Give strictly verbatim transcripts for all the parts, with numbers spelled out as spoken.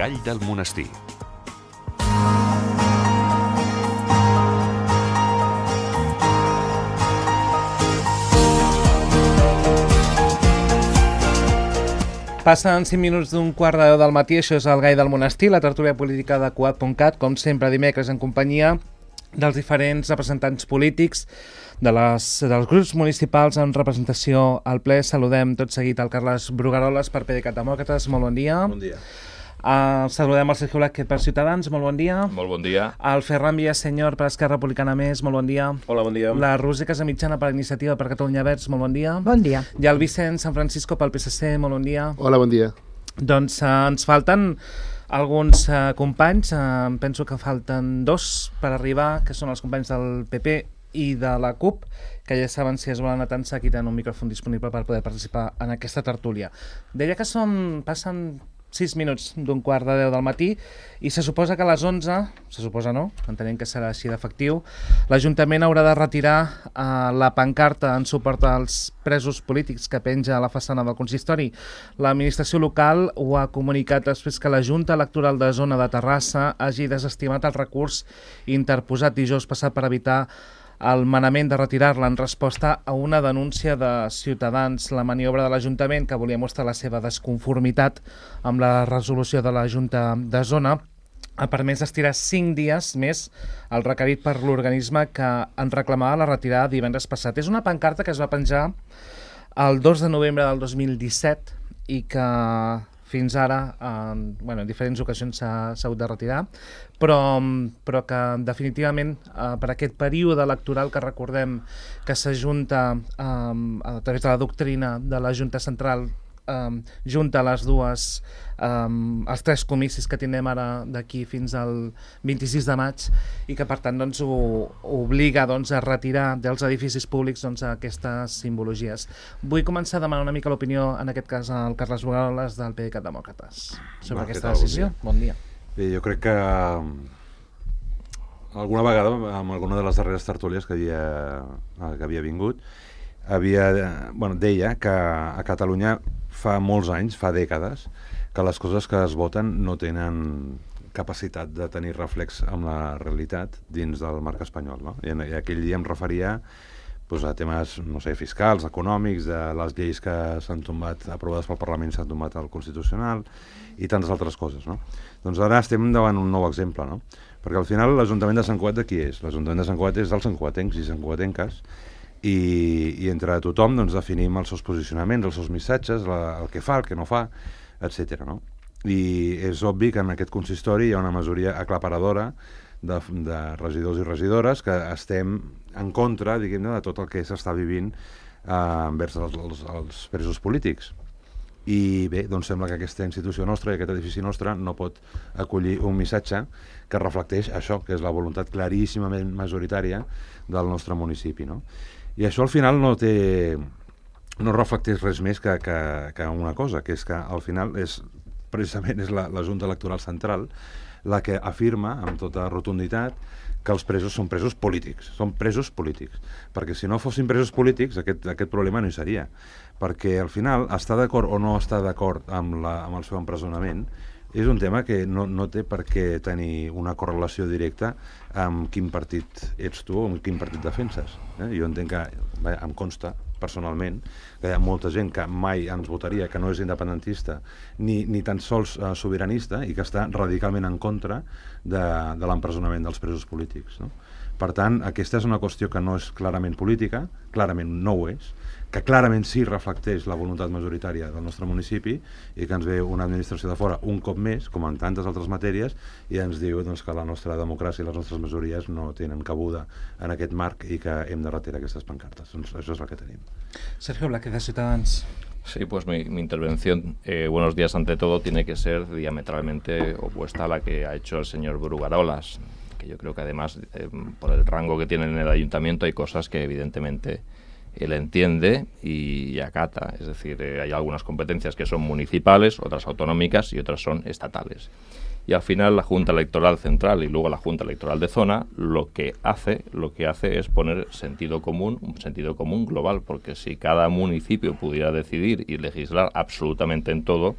Gall del Monestir. Passen cinc minuts d'un quart de deu del matí, això és el Gall del Monestir, la tertúlia política de Cugat punt cat, com sempre dimecres en companyia dels diferents representants polítics de les, dels grups municipals en representació al ple. Saludem tot seguit al Carles Brugaroles per PDeCAT Demòcrates, molt bon dia. Bon dia. Uh, saludem al Sergio Blázquez per Ciutadans, molt bon dia. Molt bon dia. El Ferran Villasenyor per Esquerra Republicana Més, molt bon dia. Hola, bon dia. La Roser Casamitjana per Iniciativa per Catalunya Verds, molt bon dia. Bon dia. I el Vicent San Francisco pel P S C, molt bon dia. Hola, bon dia. Doncs uh, ens falten alguns uh, companys, uh, penso que falten dos per arribar, que són els companys del P P i de la CUP, que ja saben, si es volen atançar, aquí tenen un micròfon disponible per poder participar en aquesta tertúlia. Deia que són, passen sis minuts d'un quart de deu del matí i se suposa que a les onze, se suposa no, entenem que serà així d'efectiu, l'Ajuntament haurà de retirar eh, la pancarta en suport als presos polítics que penja a la façana del consistori. L'administració local ho ha comunicat després que la Junta Electoral de Zona de Terrassa hagi desestimat el recurs interposat dijous passat per evitar el manament de retirar-la en resposta a una denúncia de Ciutadans. La maniobra de l'Ajuntament, que volia mostrar la seva desconformitat amb la resolució de la Junta de Zona, ha permès estirar cinc dies més el requerit per l'organisme que en reclamava la retirada divendres passat. És una pancarta que es va penjar el dos de novembre del dos mil disset i que fins ara, en, bueno, en diferents ocasions s'ha hagut de retirar, però, però que definitivament eh, per aquest període electoral que recordem que s'ajunta eh, a través de la doctrina de la Junta Central, eh, junta les dues, eh, els tres comicis que tindrem ara d'aquí fins al vint-i-sis de maig i que per tant doncs, ho, obliga doncs, a retirar dels edificis públics doncs, aquestes simbologies. Vull començar a demanar una mica l'opinió, en aquest cas al Carles Brugaroles del PDeCAT Demòcrates, sobre Va, aquesta decisió. Bon dia. Bé, jo crec que alguna vegada, amb alguna de les darreres tertúlies que havia, que havia vingut, havia, bueno, deia que a Catalunya fa molts anys, fa dècades, que les coses que es voten no tenen capacitat de tenir reflex amb la realitat dins del marc espanyol, no? I, en, i aquell dia em referia pues, a temes, no sé, fiscals, econòmics, de les lleis que s'han tombat, aprovades pel Parlament, s'han tombat al Constitucional i tantes altres coses, no? Doncs ara estem davant un nou exemple, no? Perquè al final l'Ajuntament de Sant Cugat de qui és? L'Ajuntament de Sant Cugat és dels santcugatencs i santcugatenques i, i entre tothom doncs, definim els seus posicionaments, els seus missatges, la, el que fa, el que no fa, etcètera, no? I és obvi que en aquest consistori hi ha una majoria aclaparadora de, de regidors i regidores que estem en contra, diguem-ne, de tot el que s'està vivint eh, envers els, els, els presos polítics. I bé, doncs sembla que aquesta institució nostra i aquest edifici nostre no pot acollir un missatge que reflecteix això, que és la voluntat claríssimament majoritària del nostre municipi, no? I això al final no té, no reflecteix res més que, que, que una cosa, que és que al final és precisament és la, la Junta Electoral Central la que afirma amb tota rotunditat que els presos són presos polítics, són presos polítics, perquè si no fossin presos polítics aquest, aquest problema no hi seria, perquè al final estar d'acord o no estar d'acord amb, la, amb el seu empresonament és un tema que no, no té per què tenir una correlació directa amb quin partit ets tu o amb quin partit defenses. Eh? Jo entenc que, bé, em consta personalment que hi ha molta gent que mai ens votaria, que no és independentista ni, ni tan sols uh, sobiranista i que està radicalment en contra de, de l'empresonament dels presos polítics, no? Per tant, aquesta és una qüestió que no és clarament política, clarament no ho és, que clarament sí reflecteix la voluntat majoritària del nostre municipi i que ens ve una administració de fora un cop més, com en tantes altres matèries, i ens diu doncs, que la nostra democràcia i les nostres majories no tenen cabuda en aquest marc i que hem de retirar aquestes pancartes. Doncs això és el que tenim. Sergio Blázquez, de Ciutadans. Sí, pues mi, mi intervención, eh, buenos días ante todo, tiene que ser diametralmente opuesta a la que ha hecho el señor Brugarolas, que yo creo que además, eh, por el rango que tiene en el ayuntamiento, hay cosas que evidentemente él entiende y, y acata. Es decir, eh, hay algunas competencias que son municipales, otras autonómicas y otras son estatales. Y al final la Junta Electoral Central y luego la Junta Electoral de Zona lo que hace, lo que hace es poner sentido común, un sentido común global, porque si cada municipio pudiera decidir y legislar absolutamente en todo,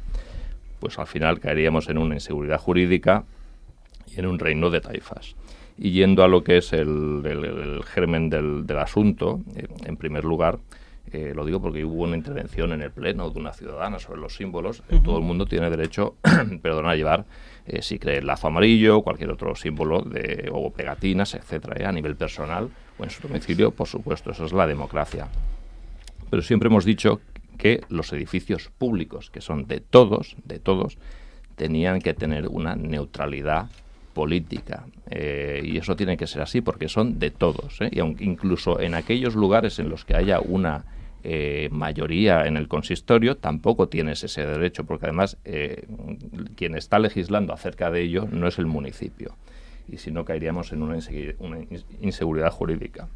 pues al final caeríamos en una inseguridad jurídica y en un reino de taifas. Y yendo a lo que es el, el, el germen del, del asunto, eh, en primer lugar, eh, lo digo porque hubo una intervención en el Pleno de una ciudadana sobre los símbolos. Uh-huh. Todo el mundo tiene derecho perdón, a llevar, eh, si cree el lazo amarillo, cualquier otro símbolo, de, o pegatinas, etcétera, eh, a nivel personal o en su domicilio, por supuesto, eso es la democracia. Pero siempre hemos dicho que los edificios públicos, que son de todos, de todos, tenían que tener una neutralidad política, eh, y eso tiene que ser así porque son de todos, ¿eh? Y aunque incluso en aquellos lugares en los que haya una eh, mayoría en el consistorio, tampoco tienes ese derecho, porque además eh, quien está legislando acerca de ello no es el municipio, y si no caeríamos en una, insegu- una inseguridad jurídica.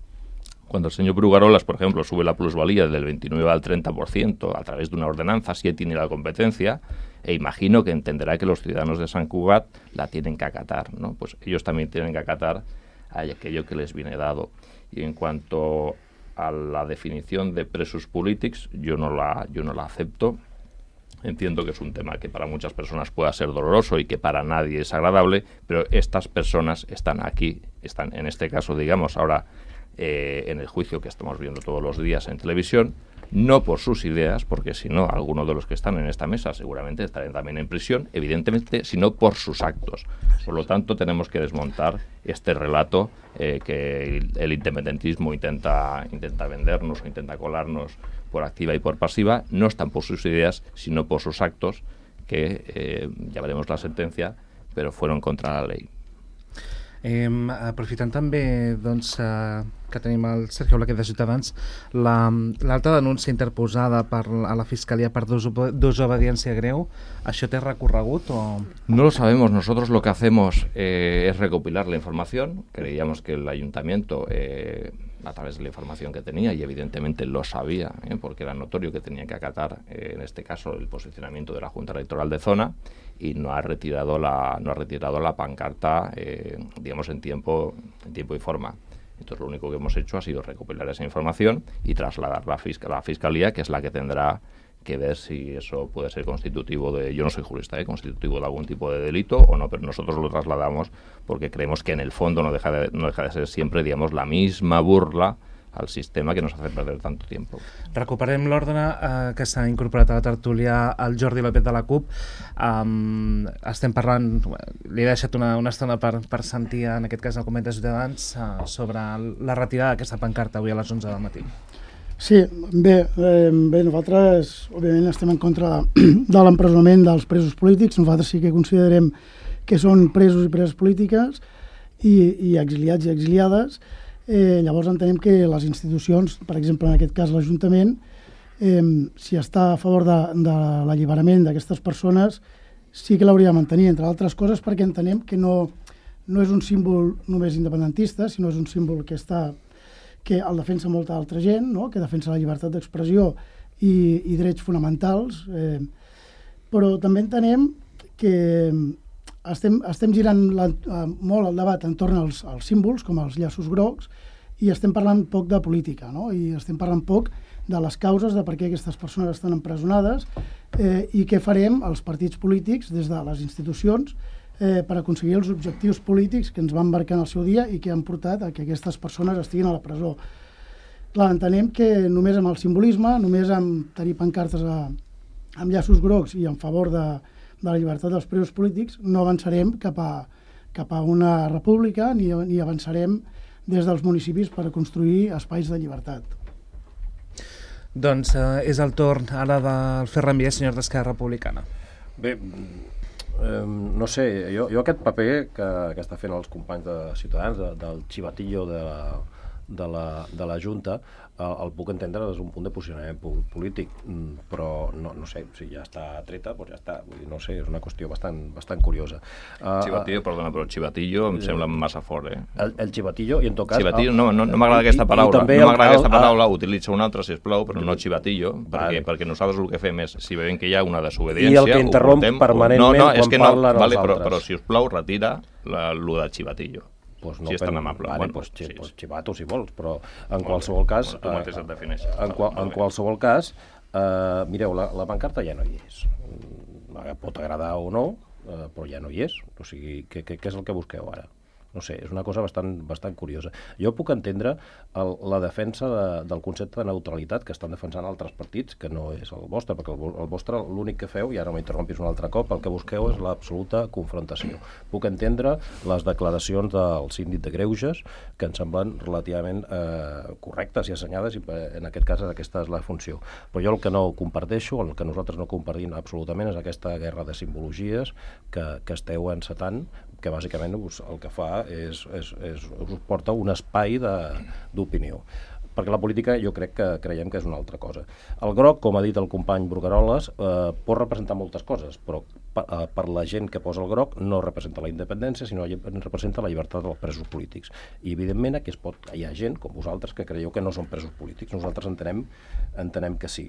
Cuando el señor Brugarolas, por ejemplo, sube la plusvalía del veintinueve al treinta por ciento a través de una ordenanza, si él tiene la competencia, e imagino que entenderá que los ciudadanos de Sant Cugat la tienen que acatar, ¿no? Pues ellos también tienen que acatar a aquello que les viene dado. Y en cuanto a la definición de presos polítics, yo no la, yo no la acepto. Entiendo que es un tema que para muchas personas pueda ser doloroso y que para nadie es agradable, pero estas personas están aquí, están en este caso, digamos, ahora eh, en el juicio que estamos viendo todos los días en televisión, no por sus ideas, porque si no, algunos de los que están en esta mesa seguramente estarán también en prisión, evidentemente, sino por sus actos. Por lo tanto, tenemos que desmontar este relato eh, que el, el independentismo intenta, intenta vendernos o intenta colarnos por activa y por pasiva. No están por sus ideas, sino por sus actos, que eh, ya veremos la sentencia, pero fueron contra la ley. Eh, aprofitant també doncs, eh, que tenim el Sergio Blaquet de Ciutadans, la, l'alta denúncia interposada per, a la Fiscalia per desobediència greu, ¿això té recorregut o...? No lo sabemos. Nosotros lo que hacemos eh, es recopilar la información. Creíamos que el ayuntamiento, eh, a través de la información que tenía, y evidentemente lo sabía, eh, porque era notorio que tenía que acatar, eh, en este caso, el posicionamiento de la Junta Electoral de Zona, y no ha retirado la, no ha retirado la pancarta, eh, digamos, en tiempo, en tiempo y forma. Entonces, lo único que hemos hecho ha sido recopilar esa información y trasladarla a fisc- la Fiscalía, que es la que tendrá que ver si eso puede ser constitutivo de, yo no soy jurista, ¿eh? constitutivo de algún tipo de delito o no, pero nosotros lo trasladamos porque creemos que en el fondo no deja de, no deja de ser siempre, digamos, la misma burla al sistema que nos hace perder tanto tiempo. Recuperem l'ordre eh, que s'ha incorporat a la tertúlia el Jordi López de la CUP. Um, estem parlant, li he deixat una, una estona per, per sentir, en aquest cas, el coment de Ciutadans uh, sobre la retirada d'aquesta pancarta avui a les onze del matí. Sí, bé, eh, bé, nosaltres òbviament estem en contra de, de l'empresonament dels presos polítics. Nosaltres sí que considerem que són presos i preses polítiques i, i exiliats i exiliades. Eh, llavors entenem que les institucions, per exemple en aquest cas l'Ajuntament, eh, si està a favor de, de l'alliberament d'aquestes persones, sí que l'hauria de mantenir, entre altres coses perquè entenem que no, no és un símbol només independentista, sinó és un símbol que està que el defensa molta altra gent, no? Que defensa la llibertat d'expressió i, i drets fonamentals, eh, però també entenem que estem, estem girant la, molt el debat entorn als, als símbols, com els llaços grocs, i estem parlant poc de política, no? I estem parlant poc de les causes de per què aquestes persones estan empresonades eh, i què farem els partits polítics des de les institucions eh, per aconseguir els objectius polítics que ens van marcar en el seu dia i que han portat a que aquestes persones estiguin a la presó. Clar, entenem que només amb el simbolisme, només amb tenir pancartes a, amb llaços grocs i en favor de, de la llibertat dels presos polítics no avançarem cap a, cap a una república ni, ni avançarem des dels municipis per construir espais de llibertat. Doncs eh, és el torn ara del Ferran Vies, senyor d'Esquerra Republicana. Bé, eh, no sé, jo, jo aquest paper que, que està fent els companys de Ciutadans, de, del xivatillo de la, de la, de la Junta, el, el puc entendre des d'un punt de posicionament polític, però no, no sé, si ja està treta, doncs ja està. Vull dir, no sé, és una qüestió bastant, bastant curiosa. Chivatillo, uh, perdona, però chivatillo em sembla massa fort, eh? El, el chivatillo, i en tot cas... Chivatillo, no, no, no m'agrada aquesta paraula, no m'agrada aquesta paraula, utilitza una altra, sisplau, però no chivatillo, perquè, vale. perquè nosaltres el que fem és, si veiem que hi ha una desobediència... I el que interromp permanentment no, no, és quan que no, parlen vale, els però, altres. però si us plau, retira la, lo de chivatillo. Pues no, si és tan amable. Vale, bueno, pues, sí, pues, sí. xivato si vols, però en qualsevol cas... Bueno, tu mateix et defineixes. En, qual, en qualsevol cas, eh, mireu, la, la pancarta ja no hi és. pot agradar o no, eh, però ja no hi és. O sigui, què, què, què és el que busqueu ara? No sé, és una cosa bastant, bastant curiosa. Jo puc entendre el, la defensa de, del concepte de neutralitat que estan defensant altres partits, que no és el vostre, perquè el, el vostre l'únic que feu, i ara m'interrompis un altre cop, el que busqueu és l'absoluta confrontació. Puc entendre les declaracions del síndic de Greuges, que em semblen relativament eh, correctes i assenyades, i en aquest cas aquesta és la funció. Però jo el que no comparteixo, el que nosaltres no compartim absolutament, és aquesta guerra de simbologies que, que esteu encetant, que bàsicament us, el que fa és, és, és us porta un espai d'opinió. Perquè la política jo crec que creiem que és una altra cosa. El groc, com ha dit el company Brugaroles, eh, pot representar moltes coses, però per, eh, per la gent que posa el groc no representa la independència, sinó representa la llibertat dels presos polítics. I evidentment aquí es pot, hi ha gent com vosaltres que creieu que no són presos polítics. Nosaltres entenem, entenem que sí.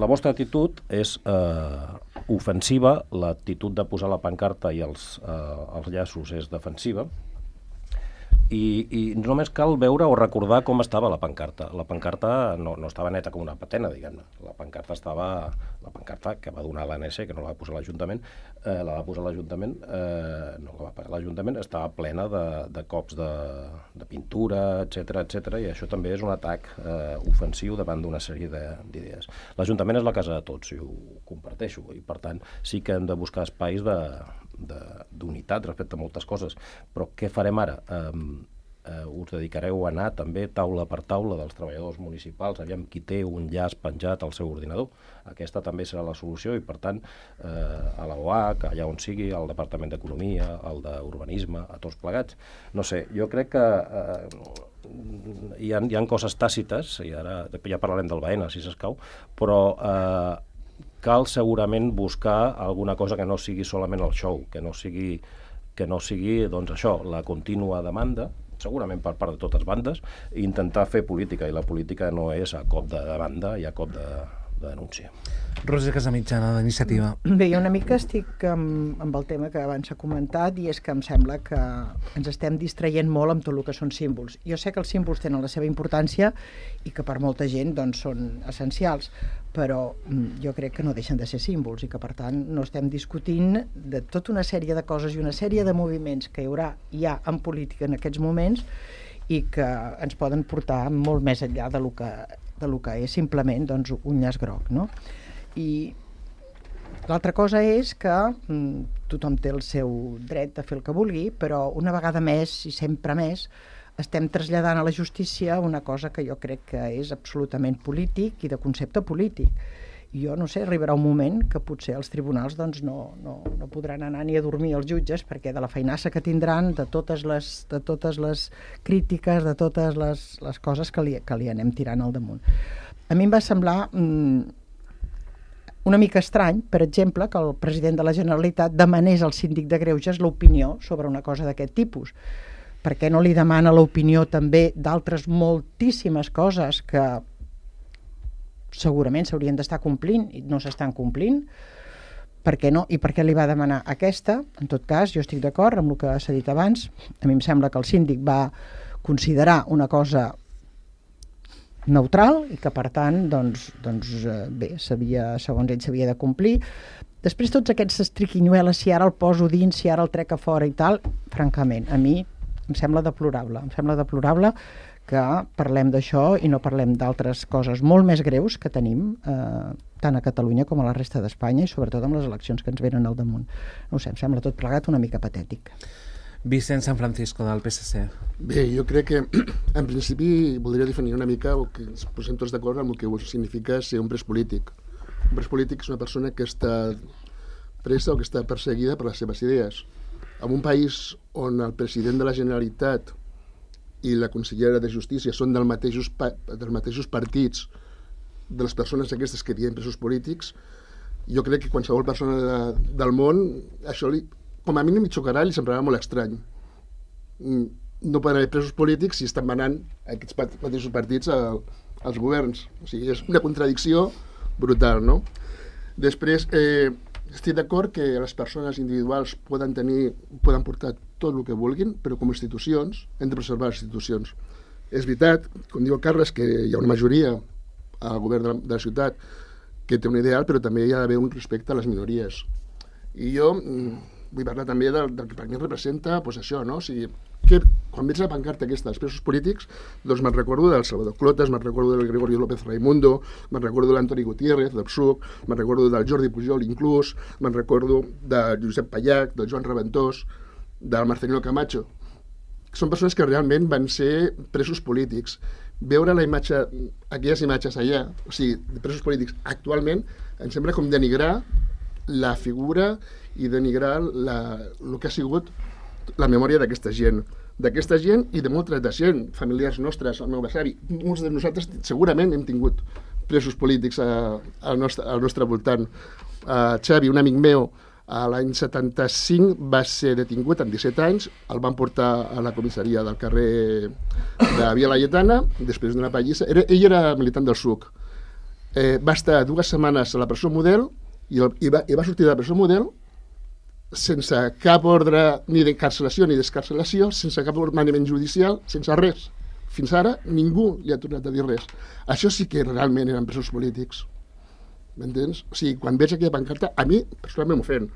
La vostra actitud és eh, ofensiva, l'actitud de posar la pancarta i els, eh, els llaços és defensiva, I, i només cal veure o recordar com estava la pancarta. La pancarta no, no estava neta com una patena, diguem-ne. La pancarta estava... La pancarta que va donar l'A N S, que no la va posar l'Ajuntament, eh, la va posar l'Ajuntament, eh, no la va pagar l'Ajuntament, estava plena de, de cops de, de pintura, etcètera, etcètera, i això també és un atac eh, ofensiu davant d'una sèrie d'idees. L'Ajuntament és la casa de tots, i ho comparteixo, i per tant sí que hem de buscar espais de d'unitat respecte a moltes coses, però què farem ara? Um, uh, us dedicareu a anar també taula per taula dels treballadors municipals, aviam qui té un llaç penjat al seu ordinador. Aquesta també serà la solució i per tant uh, a la O H, allà on sigui, al Departament d'Economia, al d'Urbanisme, a tots plegats. No sé, jo crec que uh, hi ha, hi ha coses tàcites, i ara ja parlarem del Baena, si s'escau, però uh, cal segurament buscar alguna cosa que no sigui solament el show, que no sigui, que no sigui doncs això, la contínua demanda, segurament per part de totes bandes, i intentar fer política, i la política no és a cop de demanda i a cop de, de denúncia. Roser Casamitjana, d'Iniciativa. Bé, jo una mica estic amb, amb el tema que abans s'ha comentat, i és que em sembla que ens estem distraient molt amb tot el que són símbols. Jo sé que els símbols tenen la seva importància i que per molta gent doncs, són essencials, però jo crec que no deixen de ser símbols i que per tant no estem discutint de tota una sèrie de coses i una sèrie de moviments que hi haurà ja en política en aquests moments i que ens poden portar molt més enllà de lo que, de lo que és simplement doncs, un llaç groc, no? I l'altra cosa és que mm, tothom té el seu dret de fer el que vulgui, però una vegada més i sempre més estem traslladant a la justícia una cosa que jo crec que és absolutament polític i de concepte polític. I jo no sé, arribarà un moment que potser els tribunals doncs, no, no, no podran anar ni a dormir els jutges perquè de la feinassa que tindran, de totes les, de totes les crítiques, de totes les, les coses que li, que li anem tirant al damunt. A mi em va semblar mm, una mica estrany, per exemple, que el president de la Generalitat demanés al síndic de Greuges l'opinió sobre una cosa d'aquest tipus. Per què no li demana l'opinió també d'altres moltíssimes coses que segurament s'haurien d'estar complint i no s'estan complint? Per què no? I per què li va demanar aquesta? En tot cas, jo estic d'acord amb el que s'ha dit abans. A mi em sembla que el síndic va considerar una cosa neutral i que per tant doncs, doncs, bé, segons ell s'havia de complir. Després tots aquests estriquinyueles, si ara el poso dins, si ara el trec a fora i tal, francament, a mi em sembla deplorable. Em sembla deplorable que parlem d'això i no parlem d'altres coses molt més greus que tenim eh, tant a Catalunya com a la resta d'Espanya i sobretot amb les eleccions que ens venen al damunt. No ho sé, em sembla tot plegat una mica patètic. Vicent San Francisco, del P S C. Bé, jo crec que en principi voldria definir una mica o que ens posem tots d'acord amb el que significa ser un pres polític. Un pres polític és una persona que està presa o que està perseguida per les seves idees. En un país on el president de la Generalitat i la consellera de Justícia són del mateixos, dels mateixos partits de les persones aquestes que diuen presos polítics, jo crec que qualsevol persona de, del món, això li, com a mínim li xocarà i li semblarà molt estrany. No poden haver presos polítics si estan manant aquests mateixos partits a, als governs. O sigui, és una contradicció brutal, no? Després, eh, estic d'acord que les persones individuals poden tenir, poden portar tot el que vulguin, però com a institucions hem de preservar les institucions. És veritat, com diu el Carles, que hi ha una majoria al govern de la, de la ciutat que té un ideal, però també hi ha d'haver un respecte a les minories. I jo vull parlar també del, del que per mi representa pues això, no? O sigui, que quan veig la pancarta aquesta dels presos polítics, doncs me'n recordo del Salvador Clotas, me'n recordo del Gregorio López Raimundo, me'n recordo de l'Antoni Gutiérrez, del P S U C, me'n recordo del Jordi Pujol inclús, me'n recordo de Josep Pallac, del Joan Reventós, del Marcelino Camacho. Són persones que realment van ser presos polítics. Veure la imatge, aquelles imatges allà, o sigui, de presos polítics actualment, em sembla com denigrar la figura i denigrar la, el que ha sigut la memòria d'aquesta gent, d'aquesta gent i de molta altra gent, familiars nostres, el meu besavi. Molts de nosaltres segurament hem tingut presos polítics a, al, nostre, al nostre voltant. Uh, Xavi, un amic meu, a l'any setanta-cinc va ser detingut amb disset anys, el van portar a la comissaria del carrer de Via Laietana, després d'una pallissa. Era, ell era militant del S U C. Eh, va estar dues setmanes a la presó Model i, el, i, va, i va sortir de la presó Model sense cap ordre ni d'encarcelació ni d'escarcelació, sense cap ordenament judicial, sense res. Fins ara ningú li ha tornat a dir res. Això sí que realment eren presos polítics. M'entens? O sigui, quan veig aquella pancarta, a mi personalment m'ofèn.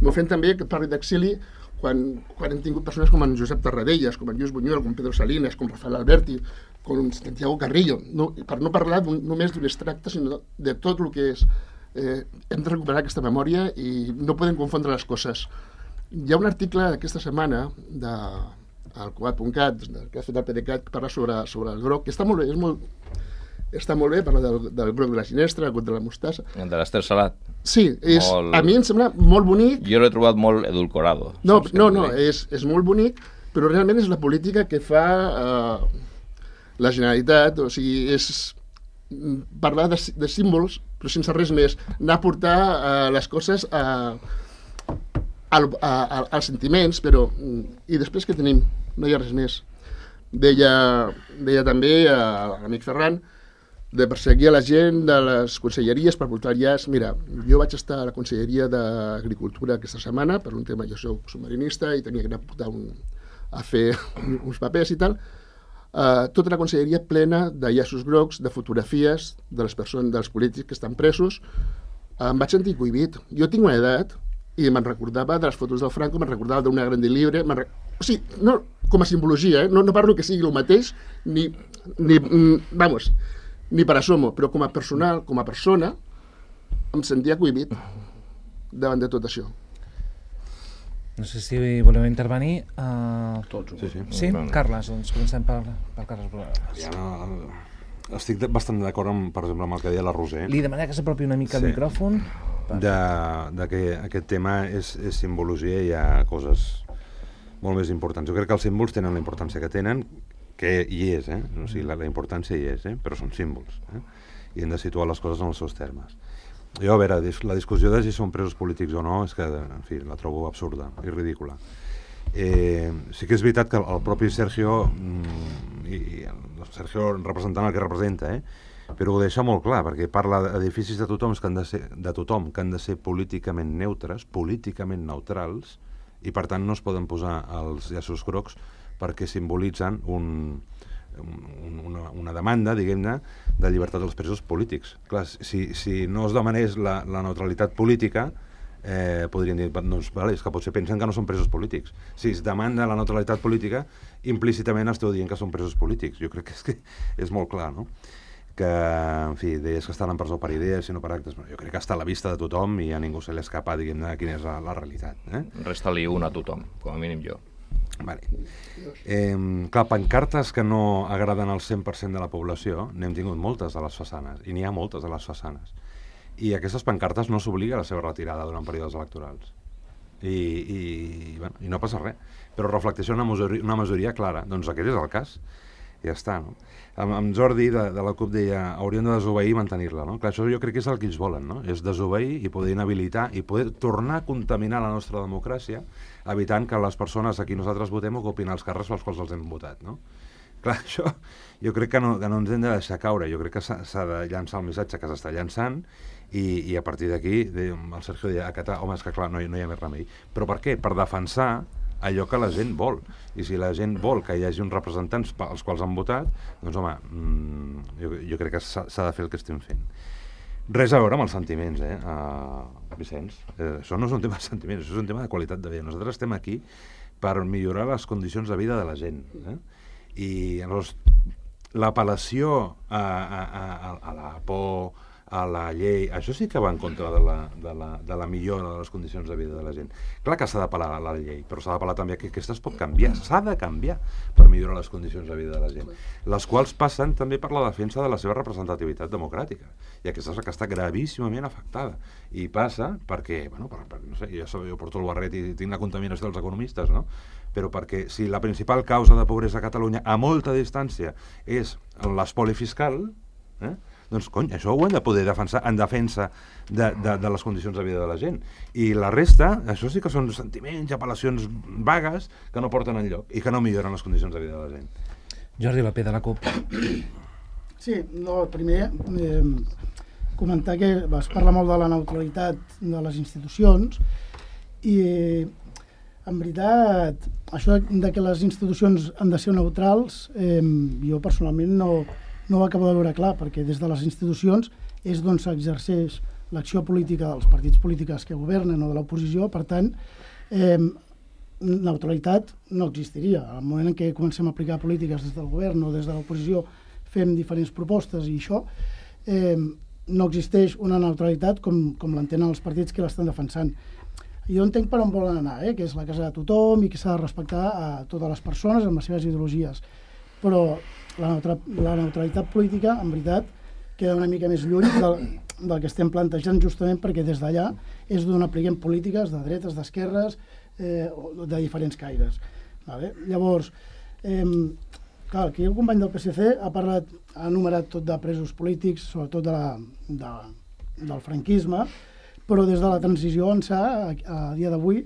M'ofèn també que parli d'exili quan, quan hem tingut persones com en Josep Tarradellas, com en Lluís Buñuel, com Pedro Salinas, com Rafael Alberti, com Santiago Carrillo, no, per no parlar un, només d'un extracte, sinó de tot el que és. Eh, hem de recuperar aquesta memòria i no podem confondre les coses. Hi ha un article d'aquesta setmana de al cugat punt cat, que ha fet el PDeCAT, que parla sobre, sobre el groc, que està molt bé, és molt, està molt bé, parla del, del groc de la ginestra, del groc de la mostassa. De l'Ester Salat. Sí, és, molt... a mi em sembla molt bonic. Jo l'he trobat molt edulcorado. No, no, no, és, és molt bonic, però realment és la política que fa eh, la Generalitat, o sigui, és parlar de, de símbols, però sense res més, anar a portar uh, les coses a, a, a, a, als sentiments, però i després què tenim? No hi ha res més. Deia, deia també a l'amic Ferran de perseguir a la gent de les conselleries per portar llaç. Mira, jo vaig estar a la Conselleria d'Agricultura aquesta setmana per un tema, jo soc submarinista i tenia que anar a portar un, a fer uns papers i tal. Uh, tota la conselleria plena de llaços grocs, de fotografies de les persones, dels polítics que estan presos. Uh, em vaig sentir cohibit. Jo tinc una edat i me'n recordava de les fotos del Franco, me'n recordava d'una Grande Libre, re... o sigui, no com a simbologia, eh? no, no parlo que sigui el mateix, ni, ni, vamos, ni per asomo, però com a personal, com a persona, em sentia cohibit davant de tot això. No sé si voleu intervenir. Uh... Tots. Sí, sí. Sí? Bueno. Carles, doncs comencem per, per Carles Brugueroles. Ja no, estic bastant d'acord, amb, per exemple, amb el que deia la Roser. Li demanaria que s'apropi una mica Sí. al micròfon. De, de que aquest tema és, és simbologia i hi ha coses molt més importants. Jo crec que els símbols tenen la importància que tenen, que hi és, eh? O sigui, la, la importància hi és, eh? Però són símbols, eh? I hem de situar les coses en els seus termes. Jo, a veure, la discussió de si són presos polítics o no és que, en fi, la trobo absurda i ridícula. Eh, sí que és veritat que el propi Sergio, mm, i el Sergio representant el que representa, eh? Però ho deixa molt clar, perquè parla d'edificis de tothom que han de ser, de tothom que han de ser políticament neutres, políticament neutrals, i per tant no es poden posar els llaços grocs perquè simbolitzen un... Una, una demanda, diguem-ne, de llibertat dels presos polítics. Clar, si, si no es demanés la, la neutralitat política, eh, podrien dir, doncs, vale, és que potser pensen que no són presos polítics. Si es demanda la neutralitat política, implícitament esteu dient que són presos polítics. Jo crec que és, que és molt clar, no? Que, en fi, deies que estan en presó per idees i no per actes. Jo crec que està a la vista de tothom i a ningú se li escapa, diguem-ne, quina és la, la realitat. Eh? Resta-li una a tothom, com a mínim jo. Vale. Eh, clar, pancartes que no agraden al cent per cent de la població, n'hem tingut moltes a les façanes, i n'hi ha moltes a les façanes. I aquestes pancartes no s'obliga a la seva retirada durant períodes electorals. I, i, bueno, i no passa res. Però reflecteix una majoria, una majoria clara. Doncs aquest és el cas. I ja està, no? Amb, amb Jordi, de, de la CUP, deia hauríem de desobeir i mantenir-la, no? Clar, això jo crec que és el que ells volen, no? És desobeir i poder inhabilitar i poder tornar a contaminar la nostra democràcia, evitant que les persones a qui nosaltres votem ocupin els càrrecs pels quals els hem votat, no? Clar, això jo crec que no, que no ens hem de deixar caure. Jo crec que s'ha de llançar el missatge que s'està llançant i, i a partir d'aquí el Sergio deia, acatar, home, és que clar, no, no hi ha més remei. Però per què? Per defensar allò que la gent vol. I si la gent vol que hi hagi uns representants als quals han votat, doncs home, mmm, jo, jo crec que s'ha de fer el que estem fent. Res a veure amb els sentiments, eh, uh, Vicenç. Eh, això no és un tema de sentiments, això és un tema de qualitat de vida. Nosaltres estem aquí per millorar les condicions de vida de la gent. Eh? I llavors, l'apel·lació a, a, a, a la por, a la llei, això sí que va en contra de la, de la, de la millora de les condicions de vida de la gent. Clar que s'ha d'apel·lar a la llei, però s'ha d'apel·lar també que aquesta es pot canviar, s'ha de canviar per millorar les condicions de vida de la gent, les quals passen també per la defensa de la seva representativitat democràtica, i aquesta és la que està gravíssimament afectada, i passa perquè, bueno, per, per, no sé, jo, jo porto el barret i tinc la contaminació dels economistes, no? Però perquè si la principal causa de pobresa a Catalunya a molta distància és l'espoli fiscal, eh? doncs, cony, això ho hem de poder defensar en defensa de, de, de les condicions de vida de la gent. I la resta, això sí que són sentiments i apel·lacions vagues que no porten enlloc i que no milloren les condicions de vida de la gent. Jordi López, de la CUP. Sí, no, primer eh, comentar que es parla molt de la neutralitat de les institucions i eh, en veritat això de que les institucions han de ser neutrals eh, jo personalment no no ho acabo de veure clar, perquè des de les institucions és d'on s'exerceix l'acció política dels partits polítics que governen o de l'oposició, per tant, eh, neutralitat no existiria. Al moment en què comencem a aplicar polítiques des del govern o des de l'oposició fem diferents propostes i això, eh, no existeix una neutralitat com, com l'entenen els partits que l'estan defensant. Jo entenc per on volen anar, eh, que és la casa de tothom i que s'ha de respectar a totes les persones amb les seves ideologies, però La, neutra, la neutralitat política, en veritat, queda una mica més lluny del, del que estem plantejant, justament perquè des d'allà és d'on apliquem polítiques de dretes, d'esquerres, eh, de diferents caires. Vale? Llavors, eh, clar, aquí el company del P S C ha parlat, ha enumerat tot de presos polítics, sobretot de la, de, del franquisme, però des de la transició ençà, a, a dia d'avui,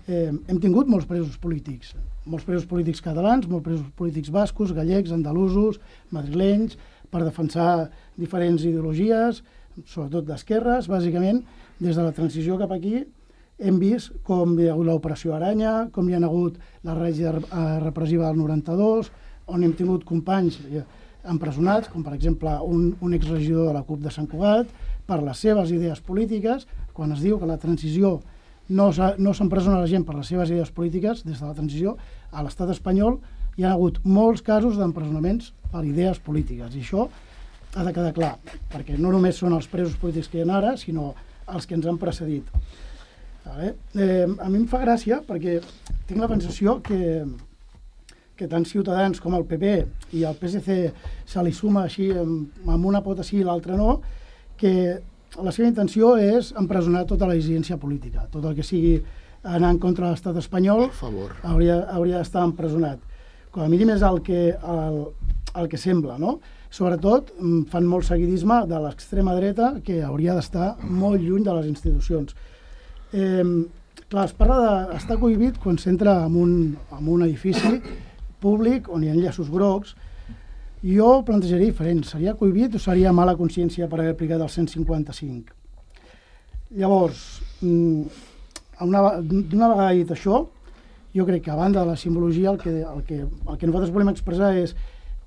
eh, hem tingut molts presos polítics. molts presos polítics catalans, molts presos polítics bascos, gallecs, andalusos, madrilenys, per defensar diferents ideologies, sobretot d'esquerres. Bàsicament, des de la transició cap aquí, hem vist com hi ha hagut l'operació Aranya, com hi ha hagut la règia repressiva del noranta-dos, on hem tingut companys empresonats, com per exemple un, un exregidor de la CUP de Sant Cugat, per les seves idees polítiques, quan es diu que la transició no s'empresona la gent per les seves idees polítiques. Des de la transició a l'estat espanyol hi ha hagut molts casos d'empresonaments per idees polítiques, i això ha de quedar clar, perquè no només són els presos polítics que hi ha ara, sinó els que ens han precedit. Vale? Eh, a mi em fa gràcia perquè tinc la sensació que, que tant Ciutadans com el P P i el P S C se li suma així amb, amb una pota sí i l'altra no, que la seva intenció és empresonar tota la dissidència política. Tot el que sigui anar en contra de l'estat espanyol hauria, hauria d'estar empresonat. Com a mínim és el que, el, el que sembla, no? Sobretot fan molt seguidisme de l'extrema dreta, que hauria d'estar molt lluny de les institucions. Eh, clar, es parla d'estar cohibit quan s'entra en, un, en un edifici públic on hi ha enllaços grocs. Jo plantejaria diferent, seria cohibit o seria mala consciència per haver aplicat el cent cinquanta-cinc? Llavors, una, una vegada dit això, jo crec que a banda de la simbologia el que, el que, el que nosaltres volem expressar és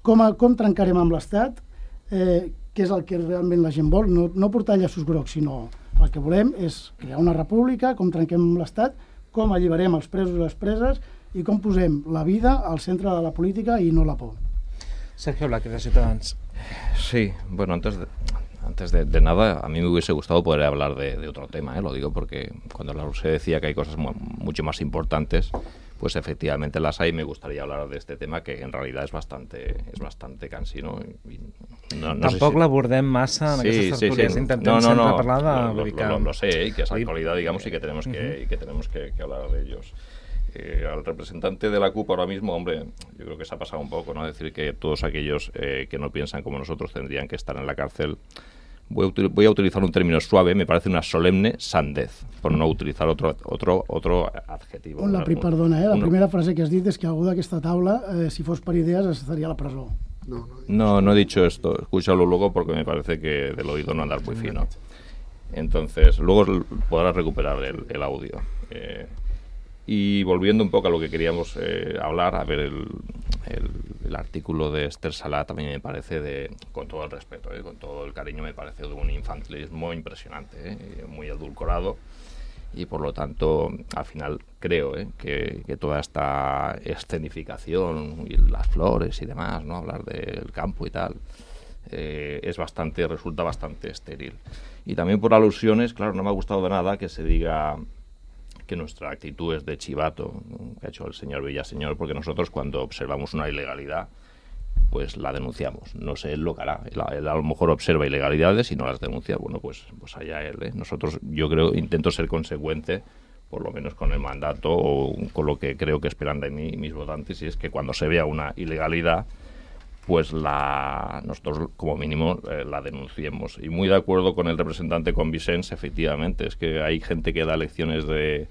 com, a, com trencarem amb l'Estat, eh, que és el que realment la gent vol, no, no portar llaços grocs, sinó el que volem és crear una república, com trenquem amb l'Estat, com alliberem els presos i les preses i com posem la vida al centre de la política i no la por. Sergio Blaque, de Ciudadanos. Sí, bueno, antes de, antes de, de nada, a mí me hubiese gustado poder hablar de, de otro tema, ¿eh? Lo digo porque cuando la U S E decía que hay cosas mu mucho más importantes, pues efectivamente las hay. Me gustaría hablar de este tema que en realidad es bastante, es bastante cansino. Y no, no Tampoc si... l'abordem massa en sí, aquestes tertúlies, sí, sí. intentem no, no, sempre no, parlar de... Lo, lo, lo, lo sé, ¿eh? Que es actualidad, digamos, y que tenemos que, uh-huh. y que, tenemos que, que hablar de ellos. Eh, al representante de la CUP ahora mismo, hombre, yo creo que se ha pasado un poco, ¿no? Decir que todos aquellos eh, que no piensan como nosotros tendrían que estar en la cárcel. Voy a, voy a utilizar un término suave, me parece una solemne sandez, por no utilizar otro otro otro adjetivo. Un lapri, perdona, eh? La Uno. primera frase que has dit és que algú d'aquesta taula, eh, si fos per idees, estaria a la presó. No, no, no, no he dicho esto. Escúchalo luego porque me parece que del oído no andar muy fino. Entonces, luego podrás recuperar el, el audio. Eh, Y volviendo un poco a lo que queríamos eh, hablar, a ver, el, el, el artículo de Esther Salat también me parece, de, con todo el respeto, eh, con todo el cariño, me parece de un infantilismo impresionante, eh, muy edulcorado. Y por lo tanto, al final creo eh, que, que toda esta escenificación y las flores y demás, ¿no? Hablar del campo y tal, eh, es bastante, resulta bastante estéril. Y también por alusiones, claro, no me ha gustado de nada que se diga que nuestra actitud es de chivato, ¿no? Que ha hecho el señor Villaseñor, porque nosotros cuando observamos una ilegalidad, pues la denunciamos. No sé él lo que hará. Él, él a lo mejor observa ilegalidades y no las denuncia. Bueno, pues, pues allá él, ¿eh? Nosotros, yo creo, intento ser consecuente, por lo menos con el mandato o con lo que creo que esperan de mí mis votantes, y es que cuando se vea una ilegalidad, pues la nosotros como mínimo eh, la denunciemos. Y muy de acuerdo con el representante, con Vicens, efectivamente, es que hay gente que da lecciones de,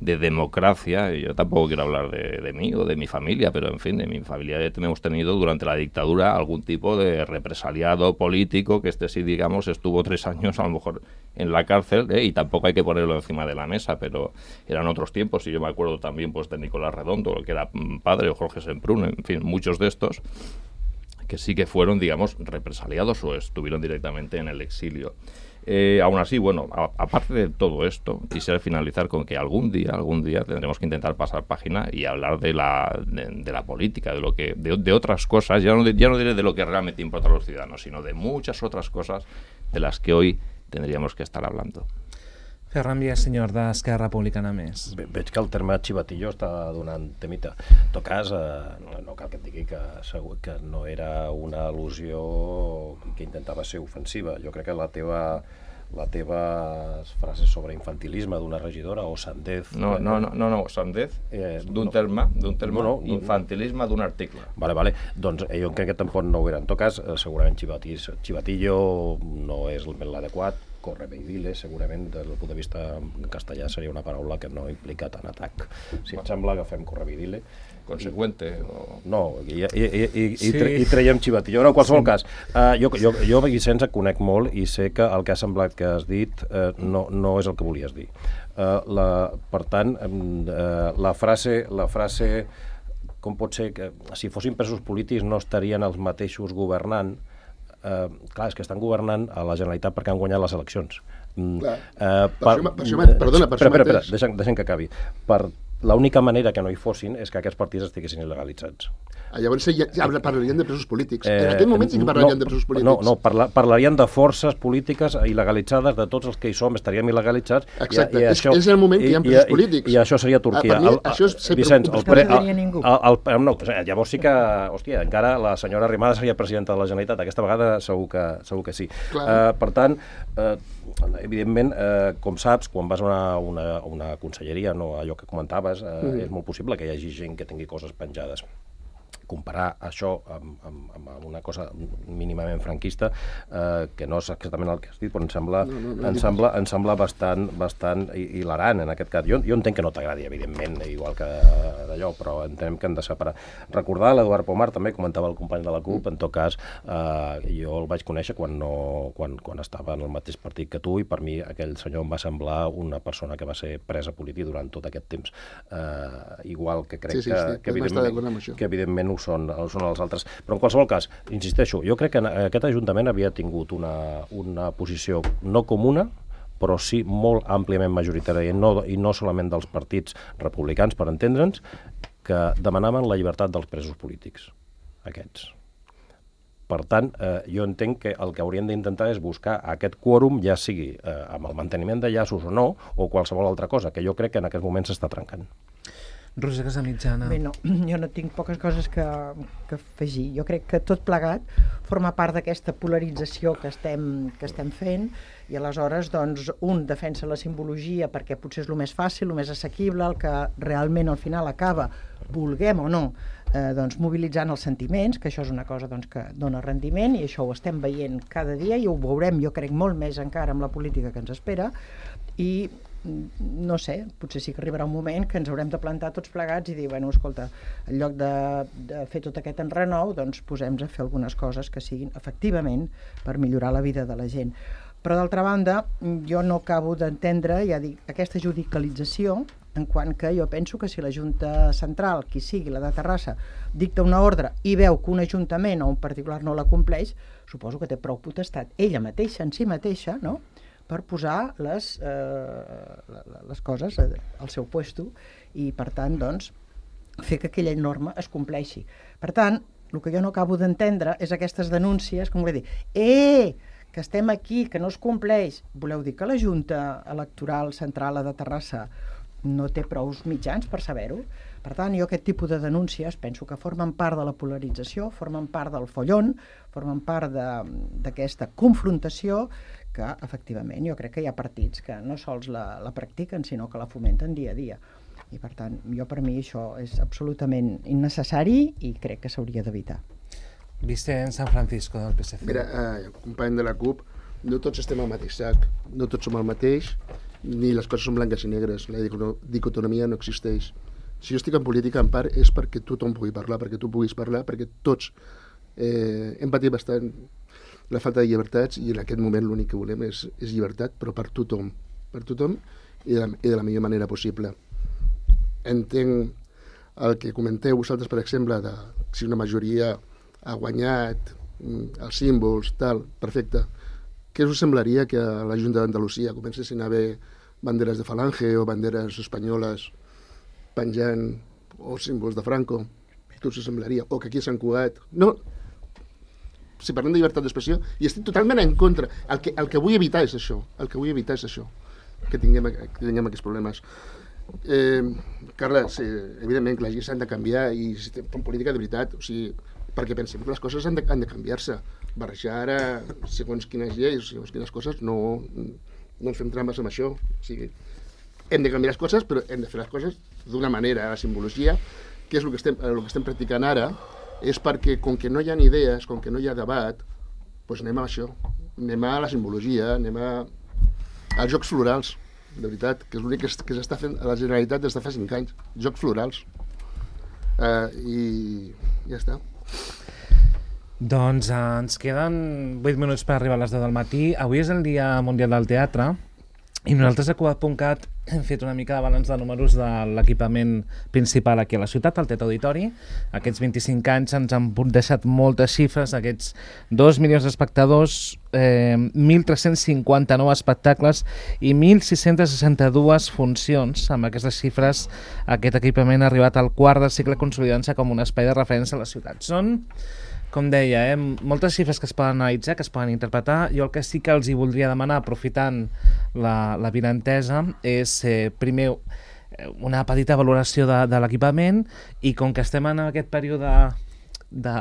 de democracia, y yo tampoco quiero hablar de, de mí o de mi familia, pero en fin, de mi familia hemos tenido durante la dictadura algún tipo de represaliado político, que este sí, digamos, estuvo tres años a lo mejor en la cárcel, ¿eh? Y tampoco hay que ponerlo encima de la mesa, pero eran otros tiempos, y yo me acuerdo también pues de Nicolás Redondo, que era padre, o Jorge Semprún, en fin, muchos de estos, que sí que fueron, digamos, represaliados o estuvieron directamente en el exilio. Eh, aún así, bueno, a, aparte de todo esto, quisiera finalizar con que algún día, algún día tendremos que intentar pasar página y hablar de la, de, de la política, de lo que, de, de otras cosas, ya no, ya no diré de lo que realmente importa a los ciudadanos, sino de muchas otras cosas de las que hoy tendríamos que estar hablando. Ferran Villaseñor, d'Esquerra Republicana Més. Ve, veig que el terme xivatillo està donant temita. En tot cas, eh, no, no cal que et digui que, segur, que no era una al·lusió que intentava ser ofensiva. Jo crec que la teva la teva frase sobre infantilisme d'una regidora o sandez... No, no, no, no, no sandez eh, d'un no, terme, d'un terme, no, no, infantilisme d'un article. Vale, vale, doncs eh, jo crec que tampoc no ho era. En tot cas, eh, segurament xivatillo no és l'adequat, correveidile, segurament, des del punt de vista en castellà seria una paraula que no implica tant atac. Si et sembla, agafem correveidile. Conseqüente. O... No, i, i, i, i, sí. i traiem xivatillo. No, en qualsevol sí. cas, uh, jo, jo, jo Vicenç et conec molt i sé que el que ha semblat que has dit uh, no, no és el que volies dir. Uh, la, per tant, uh, la frase... La frase com pot ser que si fossin presos polítics no estarien els mateixos governant? Uh, clar, és que estan governant a la Generalitat perquè han guanyat les eleccions. Clar, uh, per, per, per això, perdona, per això mateix... Espera, espera, deixa'm, deixa'm que acabi. Per l'única manera que no hi fossin és que aquests partits estiguessin il·legalitzats. Ah, llavors ja, ja parlarien de presos polítics. Eh, en aquest moment sí que parlarien no, de presos polítics. No, no parla, parlarien de forces polítiques il·legalitzades, de tots els que hi som estaríem il·legalitzats. Exacte, i, i és, això, és el moment que hi ha presos i, polítics. I, i això seria Turquia. Ah, per mi, el, això és ser Vicenç, el pre, el, ningú. El, el, no, llavors sí que, hòstia, encara la senyora Arrimadas seria presidenta de la Generalitat. Aquesta vegada segur que, segur que sí. Uh, per tant, uh, evidentment, uh, com saps, quan vas a una, una, una conselleria, no, allò que comentaves, uh, mm. és molt possible que hi hagi gent que tingui coses penjades. Comparar això amb, amb, amb una cosa mínimament franquista, eh, que no és exactament el que has dit, però em sembla, no, no, no, em sembla, em sembla bastant, bastant hilarant en aquest cas. Jo, jo entenc que no t'agradi, evidentment, igual que d'allò, però entenem que hem de separar. Recordar, l'Eduard Pomar també comentava el company de la CUP, en tot cas, eh, jo el vaig conèixer quan, no, quan, quan estava en el mateix partit que tu, i per mi aquell senyor em va semblar una persona que va ser presa política durant tot aquest temps. Eh, igual que crec sí, sí, sí, que, que, evidentment, que evidentment són, són els altres. Però en qualsevol cas, insisteixo, jo crec que aquest Ajuntament havia tingut una, una posició no comuna, però sí molt àmpliament majoritària, i no, i no solament dels partits republicans, per entendre'ns, que demanaven la llibertat dels presos polítics, aquests. Per tant, eh, jo entenc que el que hauríem d'intentar és buscar aquest quòrum, ja sigui eh, amb el manteniment de llaços o no, o qualsevol altra cosa, que jo crec que en aquest moment s'està trencant. Roser Casamitjana. Bé, no, jo no tinc poques coses que, que afegir. Jo crec que tot plegat forma part d'aquesta polarització que estem, que estem fent, i aleshores doncs, un defensa la simbologia perquè potser és el més fàcil, el més assequible, el que realment al final acaba, vulguem o no, eh, doncs, mobilitzant els sentiments, que això és una cosa doncs, que dona rendiment, i això ho estem veient cada dia i ho veurem, jo crec, molt més encara amb la política que ens espera, i no sé, potser sí que arribarà un moment que ens haurem de plantar tots plegats i dir, bueno, escolta, en lloc de, de fer tot aquest enrenou, doncs posem-nos a fer algunes coses que siguin efectivament per millorar la vida de la gent. Però d'altra banda, jo no acabo d'entendre, ja dic, aquesta judicialització en quant que jo penso que si la Junta Central, qui sigui, la de Terrassa, dicta una ordre i veu que un ajuntament o un particular no la compleix, suposo que té prou potestat ella mateixa, en si mateixa, no?, per posar les, eh, les coses al seu puesto i, per tant, doncs, fer que aquella norma es compleixi. Per tant, el que jo no acabo d'entendre és aquestes denúncies, com vull dir, eh, que estem aquí, que no es compleix. Voleu dir que la Junta Electoral Central de Terrassa no té prou mitjans per saber-ho? Per tant, jo aquest tipus de denúncies penso que formen part de la polarització, formen part del follon, formen part d'aquesta confrontació que, efectivament, jo crec que hi ha partits que no sols la, la practiquen, sinó que la fomenten dia a dia. I, per tant, jo per mi això és absolutament innecessari i crec que s'hauria d'evitar. Vicent San Francisco, del P S C. Mira, eh, company de la CUP, no tots estem al mateix sac, no tots som el mateix, ni les coses són blanques i negres, la dicotomia no existeix. Si jo estic en política, en part, és perquè tothom pugui parlar, perquè tu puguis parlar, perquè tots eh, hem patit bastant la falta de llibertats i en aquest moment l'únic que volem és, és llibertat, però per tothom, per tothom i de, la, i de la millor manera possible. Entenc el que comenteu vosaltres, per exemple, de si una majoria ha guanyat els símbols, tal, perfecte. Què us semblaria que a la Junta d'Andalusia comencessin a haver banderes de Falange o banderes espanyoles penjant o símbols de Franco? Què us semblaria? O que aquí a Sant Cugat... No, si parlem de llibertat d'expressió, i estic totalment en contra. El que, el que vull evitar és això. El que vull evitar és això. Que tinguem, que tinguem aquests problemes. Eh, Carla, sí, evidentment que les lleis s'han de canviar i si fem política de veritat, o sigui, perquè pensem que les coses han de, han de canviar-se. Barrejar ara, segons quines lleis, segons quines coses, no, no ens fem trampes amb això. O sigui, hem de canviar les coses, però hem de fer les coses d'una manera. La simbologia, que és el que estem, el que estem practicant ara, és perquè, com que no hi ha idees, com que no hi ha debat, doncs anem a això. Anem a la simbologia, anem a, als jocs florals, de veritat, que és l'únic que, que s'està fent a la Generalitat des de fa cinc anys. Jocs florals. Uh, I ja està. Doncs eh, ens queden vuit minuts per arribar a les deu del matí. Avui és el Dia Mundial del Teatre i nosaltres a Cugat punt cat hem fet una mica de balanç de números de l'equipament principal aquí a la ciutat, el Teatre Auditori. Aquests vint-i-cinc anys ens han deixat moltes xifres, aquests dos milions d'espectadors, eh, mil tres-cents cinquanta-nou espectacles i mil sis-cents seixanta-dues funcions. Amb aquestes xifres, aquest equipament ha arribat al quart del cicle consolidant-se com un espai de referència a la ciutat. Són, com deia, eh, moltes xifres que es poden analitzar, que es poden interpretar. Jo el que sí que els hi voldria demanar, aprofitant la, la vinentesa, és eh, primer una petita valoració de, de l'equipament i com que estem en aquest període de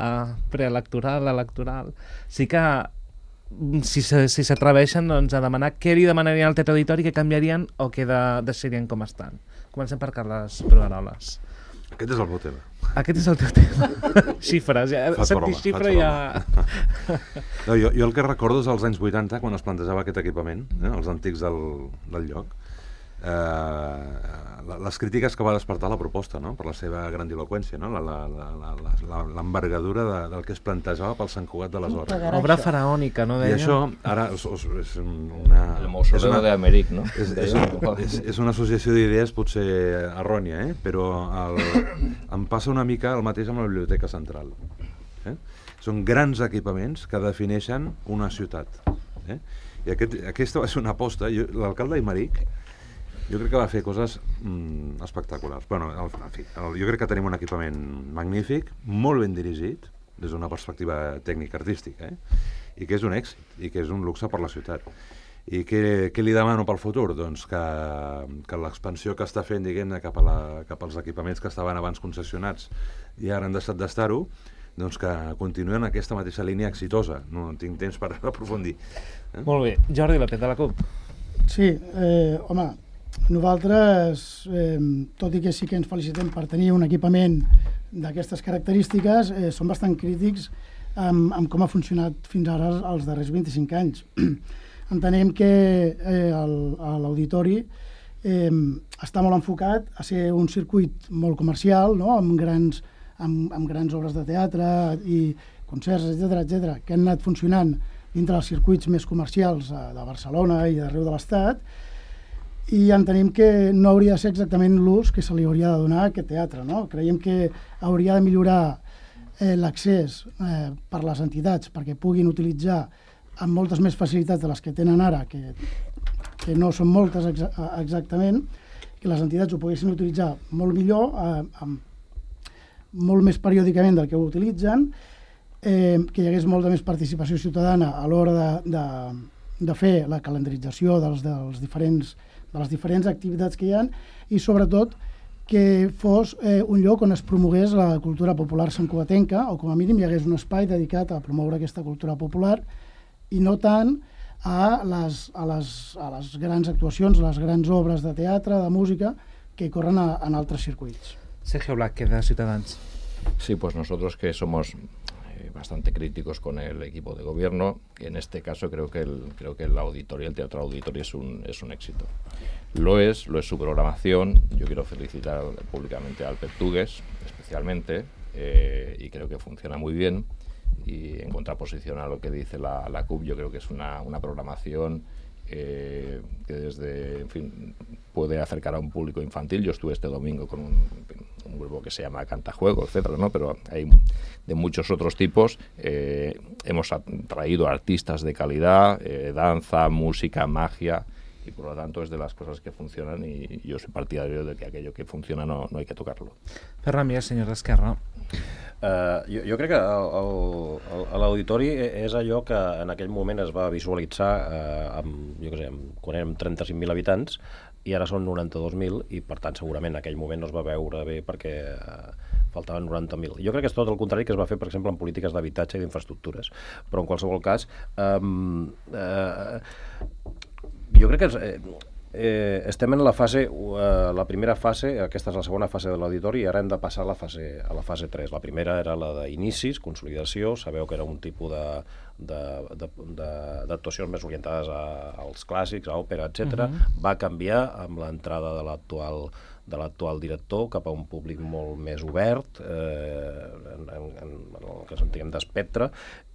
preelectoral, electoral, sí que si, si s'atreveixen doncs, a demanar què li demanarien al Teatre Auditori, què canviarien o què de, deixarien com estan. Comencem per Carles Brugaroles. Aquest és el meu tema. Aquest és el teu tema. Xifres, ja. Sentir xifra ja... No, jo, jo el que recordo és als anys vuitanta, quan es plantejava aquest equipament, eh, els antics del, del lloc, eh, les crítiques que va despertar la proposta, no?, per la seva grandiloquència, no?, l'envergadura de, del que es plantejava pel Sant Cugat d'aleshores. Obra faraònica, no deia? I això, ara, és, és una... El mausoleu d'Améric, no? És, és, és, és una associació d'idees potser errònia, eh? Però el, em passa una mica el mateix amb la Biblioteca Central. Eh? Són grans equipaments que defineixen una ciutat. Eh? I aquest, aquesta va ser una aposta. L'alcalde Aymeric, jo crec que va fer coses mm, espectaculars. Bueno, el, en fi, el, jo crec que tenim un equipament magnífic, molt ben dirigit, des d'una perspectiva tècnica artística, eh? I que és un èxit, i que és un luxe per la ciutat. I què, què li demano pel futur? Doncs que, que l'expansió que està fent, diguem-ne, cap, a la, cap als equipaments que estaven abans concessionats i ara han deixat d'estar-ho, doncs que continuen aquesta mateixa línia exitosa. No tinc temps per aprofundir. Eh? Molt bé. Jordi López, de la CUP. Sí, eh, home, nosaltres, eh, tot i que sí que ens felicitem per tenir un equipament d'aquestes característiques, eh, som bastant crítics amb, amb com ha funcionat fins ara els darrers vint-i-cinc anys. Entenem que eh, l'auditori eh, està molt enfocat a ser un circuit molt comercial, no?, amb, grans, amb, amb grans obres de teatre i concerts, etcètera, etcètera, que han anat funcionant dintre dels circuits més comercials de Barcelona i d'arreu de l'Estat, i entenem que no hauria de ser exactament l'ús que se li hauria de donar a aquest teatre, no? Creiem que hauria de millorar eh, l'accés eh, per les entitats perquè puguin utilitzar amb moltes més facilitats de les que tenen ara, que, que no són moltes exa exactament, que les entitats ho poguessin utilitzar molt millor, eh, amb, molt més periòdicament del que ho utilitzen, eh, que hi hagués molta més participació ciutadana a l'hora de, de, de fer la calendarització dels, dels diferents, de les diferents activitats que hi ha i, sobretot, que fos eh, un lloc on es promogués la cultura popular santcugatenca o, com a mínim, hi hagués un espai dedicat a promoure aquesta cultura popular i no tant a les, a les, a les grans actuacions, a les grans obres de teatre, de música, que corren a, en altres circuits. Sergio Blázquez, de Ciutadans. Sí, pues nosotros que somos bastante críticos con el equipo de gobierno. En este caso creo que el, creo que el auditorio, el Teatro Auditorio es un, es un éxito. Lo es, lo es su programación. Yo quiero felicitar públicamente al Pertugues, especialmente, eh, y creo que funciona muy bien. Y en contraposición a lo que dice la, la C U P, yo creo que es una, una programación eh, que desde, en fin, puede acercar a un público infantil. Yo estuve este domingo con un, un grupo que se llama Cantajuego, etcétera, ¿no? Pero hay de muchos otros tipos. Eh, hemos traído artistas de calidad, eh, danza, música, magia, y por lo tanto es de las cosas que funcionan y yo soy partidario de que aquello que funciona no, no hay que tocarlo. Ferran Mies, senyor d'Esquerra. Uh, jo, jo crec que l'auditori és allò que en aquell moment es va visualitzar uh, amb, jo què sé, amb, quan érem trenta-cinc mil habitants i ara són noranta-dos mil i per tant segurament en aquell moment no es va veure bé perquè uh, faltaven noranta mil. Jo crec que és tot el contrari que es va fer, per exemple, en polítiques d'habitatge i d'infraestructures. Però en qualsevol cas, um, uh, jo crec que és, eh, Eh, estem en la fase, eh, la primera fase, aquesta és la segona fase de l'auditori i ara hem de passar a la fase, a la fase tres. La primera era la d'inicis, consolidació, sabeu que era un tipus d'actuacions més orientades a, als clàssics, a òpera, etcètera. Uh-huh. Va canviar amb l'entrada de l'actual de l'actual director cap a un públic molt més obert, eh, en, en, en el que sentíem d'espectre,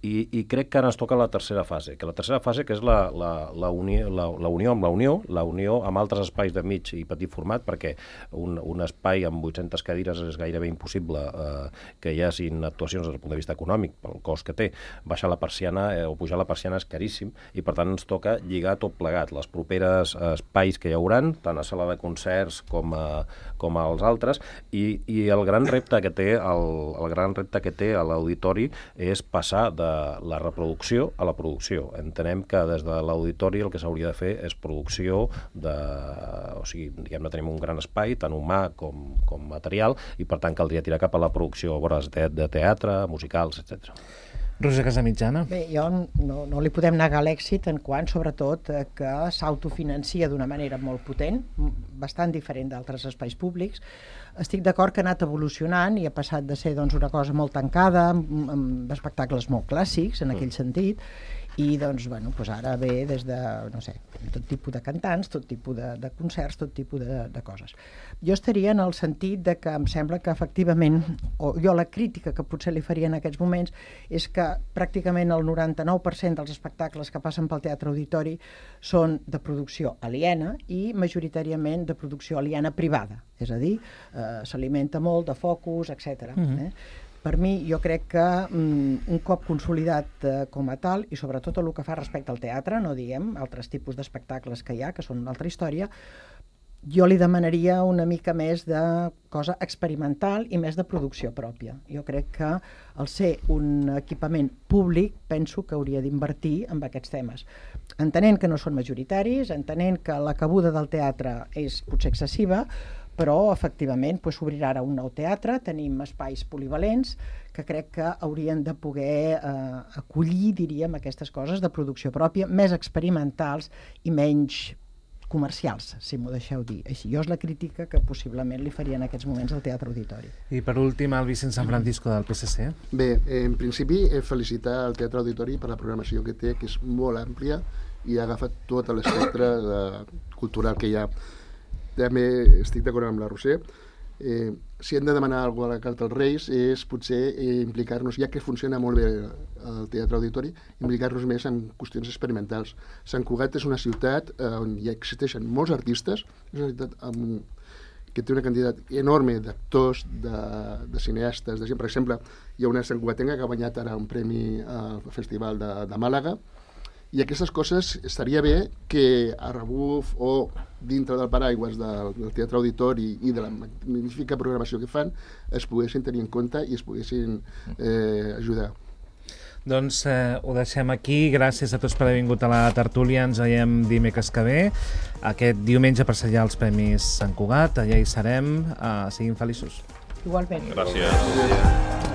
i, i crec que ara ens toca la tercera fase, que la tercera fase que és la, la, la, unió, la, la unió amb la unió, la unió amb altres espais de mig i petit format, perquè un, un espai amb vuit-centes cadires és gairebé impossible eh, que hi hagin actuacions des del punt de vista econòmic, pel cost que té. Baixar la persiana eh, o pujar la persiana és caríssim, i per tant ens toca lligar tot plegat. Les properes eh, espais que hi hauran, tant a sala de concerts com a com als altres, i, i el gran repte que té el, el gran repte que té a l'auditori és passar de la reproducció a la producció. Entenem que des de l'auditori el que s'hauria de fer és producció de... o sigui, diguem-ne, tenim un gran espai, tant humà com, com material, i per tant caldria tirar cap a la producció obres de, de teatre, musicals, etcètera. Roser Casamitjana. Bé, jo no, no li podem negar l'èxit en quant, sobretot, que s'autofinancia d'una manera molt potent, bastant diferent d'altres espais públics. Estic d'acord que ha anat evolucionant i ha passat de ser doncs, una cosa molt tancada, amb, amb espectacles molt clàssics, en aquell sentit, i doncs, bueno, doncs ara ve des de, no sé, tot tipus de cantants, tot tipus de, de concerts, tot tipus de, de coses. Jo estaria en el sentit de que em sembla que efectivament, o jo la crítica que potser li faria en aquests moments és que pràcticament el noranta-nou per cent dels espectacles que passen pel Teatre Auditori són de producció aliena i majoritàriament de producció aliena privada, és a dir, eh, s'alimenta molt de focus, etcètera. Mm-hmm. eh? Per mi, jo crec que mm, un cop consolidat eh, com a tal, i sobretot el que fa respecte al teatre, no diguem, altres tipus d'espectacles que hi ha, que són una altra història, jo li demanaria una mica més de cosa experimental i més de producció pròpia. Jo crec que al ser un equipament públic, penso que hauria d'invertir en aquests temes. Entenent que no són majoritaris, entenent que la cabuda del teatre és potser excessiva, però efectivament s'obrirà ara un nou teatre, tenim espais polivalents que crec que haurien de poder eh, acollir, diríem, aquestes coses de producció pròpia, més experimentals i menys comercials, si m'ho deixeu dir. Així, jo és la crítica que possiblement li faria en aquests moments al Teatre Auditori. I per últim, el Vicent San Francisco del P S C. Bé, en principi, eh, felicitar el Teatre Auditori per la programació que té, que és molt àmplia i ha agafat tot l'espectre cultural que hi ha. També estic d'acord amb la Roser. Eh, si hem de demanar alguna cosa a la carta als Reis és potser eh, implicar-nos, ja que funciona molt bé el Teatre Auditori, implicar-nos més en qüestions experimentals. Sant Cugat és una ciutat eh, on ja existeixen molts artistes, és una ciutat amb, que té una quantitat enorme d'actors, de, de cineastes, de gent. Per exemple, hi ha una santcugatenca que ha guanyat ara un premi al Festival de, de Màlaga, i aquestes coses estaria bé que a rebuf o dintre del paraigües del, del Teatre Auditori i de la magnífica programació que fan es poguessin tenir en compte i es poguessin eh, ajudar. Doncs eh, ho deixem aquí. Gràcies a tots per haver vingut a la tertúlia. Ens veiem dimecres que ve. Aquest diumenge per sellar els Premis Sant Cugat. Allà hi serem. Uh, siguin feliços. Igualment. Gràcies.